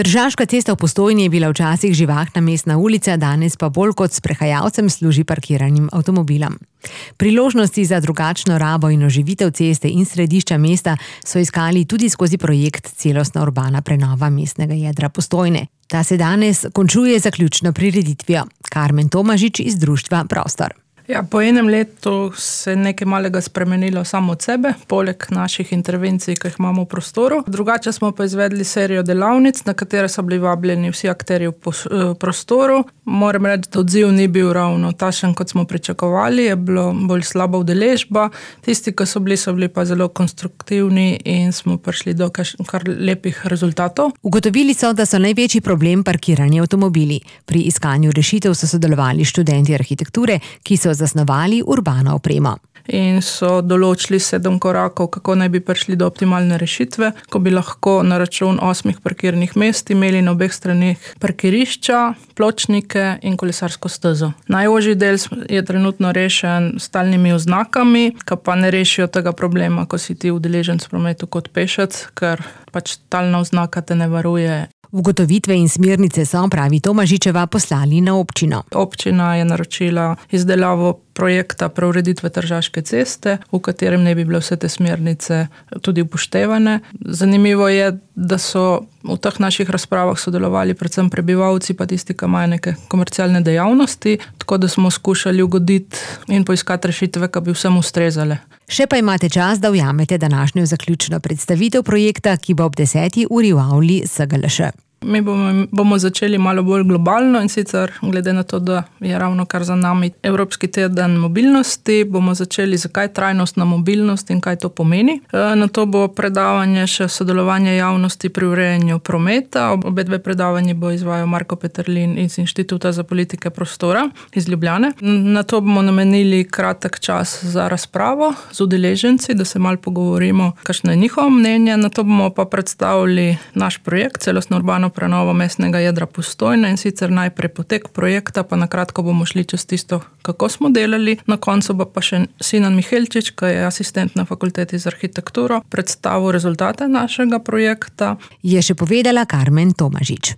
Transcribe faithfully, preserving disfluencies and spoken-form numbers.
Tržaška cesta v Postojni je bila včasih živahna mestna ulica, danes pa bolj kot sprehajalcem služi parkiranim avtomobilom. Priložnosti za drugačno rabo in oživitev ceste in središča mesta so iskali tudi skozi projekt Celostna urbana prenova mestnega jedra Postojne. Ta se danes končuje z zaključno prireditvijo. Karmen Tomažič iz društva Prostor. Ja, po enem letu se je nekaj malega spremenilo samo od sebe, poleg naših intervencij, ki jih imamo v prostoru. Drugače smo pa izvedli serijo delavnic, na katere so bili vabljeni vsi akterji v prostoru. Moram reči, da odziv ni bil ravno takšen, kot smo pričakovali, je bilo bolj slaba udeležba. Tisti, ki so bili, so bili pa zelo konstruktivni in smo prišli do kar lepih rezultatov. Ugotovili so, da so največji problem parkirani avtomobili. Pri iskanju rešitev so sodelovali študenti arhitekture, ki so zasnovali urbano opremo. In so določili sedem korakov, kako naj bi prišli do optimalne rešitve, ko bi lahko na račun osmih parkirnih mest imeli na obeh straneh parkirišča, pločnike in kolesarsko stezo. Najožji del je trenutno rešen s stalnimi oznakami, ki pa ne rešijo tega problema, ko si ti udeleženec v prometu kot pešec, ker pač talna oznaka te ne varuje. Ugotovitve in smernice so, pravi Tomažičeva, poslali na občino. Občina je naročila izdelavo projekta preureditve Tržaške ceste, v katerem ne bi bile vse te smernice tudi upoštevane. Zanimivo je, da so v teh naših razpravah sodelovali predvsem prebivalci, pa tisti, ki imajo neke komercialne dejavnosti, tako da smo skušali ugoditi in poiskati rešitve, ki bi vsem ustrezale. Še pa imate čas, da ujamete današnjo zaključno predstavitev projekta, ki bo ob deseti uri v avli S G L Š. Mi bomo, bomo začeli malo bolj globalno in sicer glede na to, da je ravno kar za nami Evropski teden mobilnosti, bomo začeli zakaj trajnostna mobilnost in kaj to pomeni. Na to bo predavanje še sodelovanje javnosti pri urejanju prometa. Obe dve predavanje bo izvajal Marko Peterlin iz Inštituta za politike prostora iz Ljubljane. Na to bomo namenili kratek čas za razpravo z udeleženci, da se malo pogovorimo, kakšno je njihovo mnenje. Na to bomo pa predstavili naš projekt Celostna urbana prenovo mestnega jedra Postojne in sicer najprej potek projekta, pa na kratko bomo šli čez tisto, kako smo delali. Na koncu bo pa še Sinan Mihelčič, ki je asistent na fakulteti za arhitekturo, predstavil rezultate našega projekta. Je še povedala Karmen Tomažič.